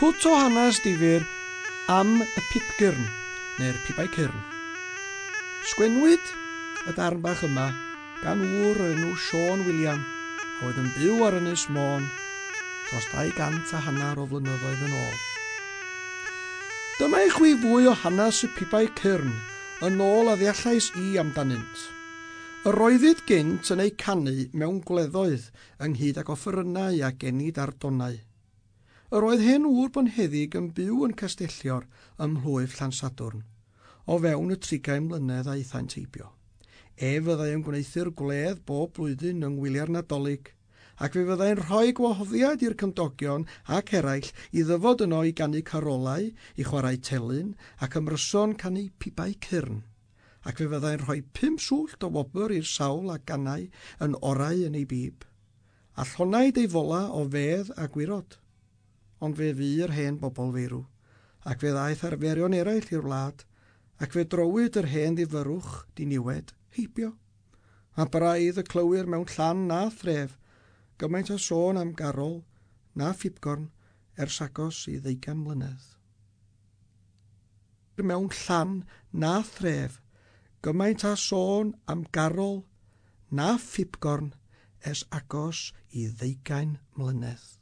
Pwt o hanes difyr am y pibgyrn, neu'r pibau cyrn. Sgwennwyd y darn bach yma gan ŵr o'r enw Siôn William, a oedd yn byw ar Ynys Môn dros 250 o flynyddoedd yn ôl. Dyma i chwi fwy o hanes y pibau cyrn, yn ôl a ddeallais i amdanynt. Yr oeddid gynt yn eu canu mewn gwleddoedd, ynghyd ag offerynnau a genid ar donau. Yr oedd hen ŵr bonheddig yn byw yn Castellior ym mhlwyf Llansadwrn, o fewn y 30 mlynedd aethant heibio. Ef fyddai yn gwneuthur gwledd bob blwyddyn yng ngwyliau'r Nadolig, ac fe fyddai'n rhoi gwahoddiad i'r cymdogion ac eraill i ddyfod yno i ganu carolau, i chwarae telyn, ac ymryson canu pibau cyrn. Ac fe fyddai'n rhoi 5 swllt o wobr i'r sawl a ganai yn orau yn ei bib, a llonaid ei fola o fedd a gwirod. Ond fe fu'r hen bobl feirw, ac fe ddaeth arferion eraill i'r wlad, ac fe drowyd yr hen ddifyrrwch diniwed heibio. A braidd y clywir mewn llan na thref, gymaint o sôn am garol na phibgorn ers agos i 20 mlynedd. Mewn llan na thref, gymaint a sôn am garol na phibgorn ers agos i 20 mlynedd.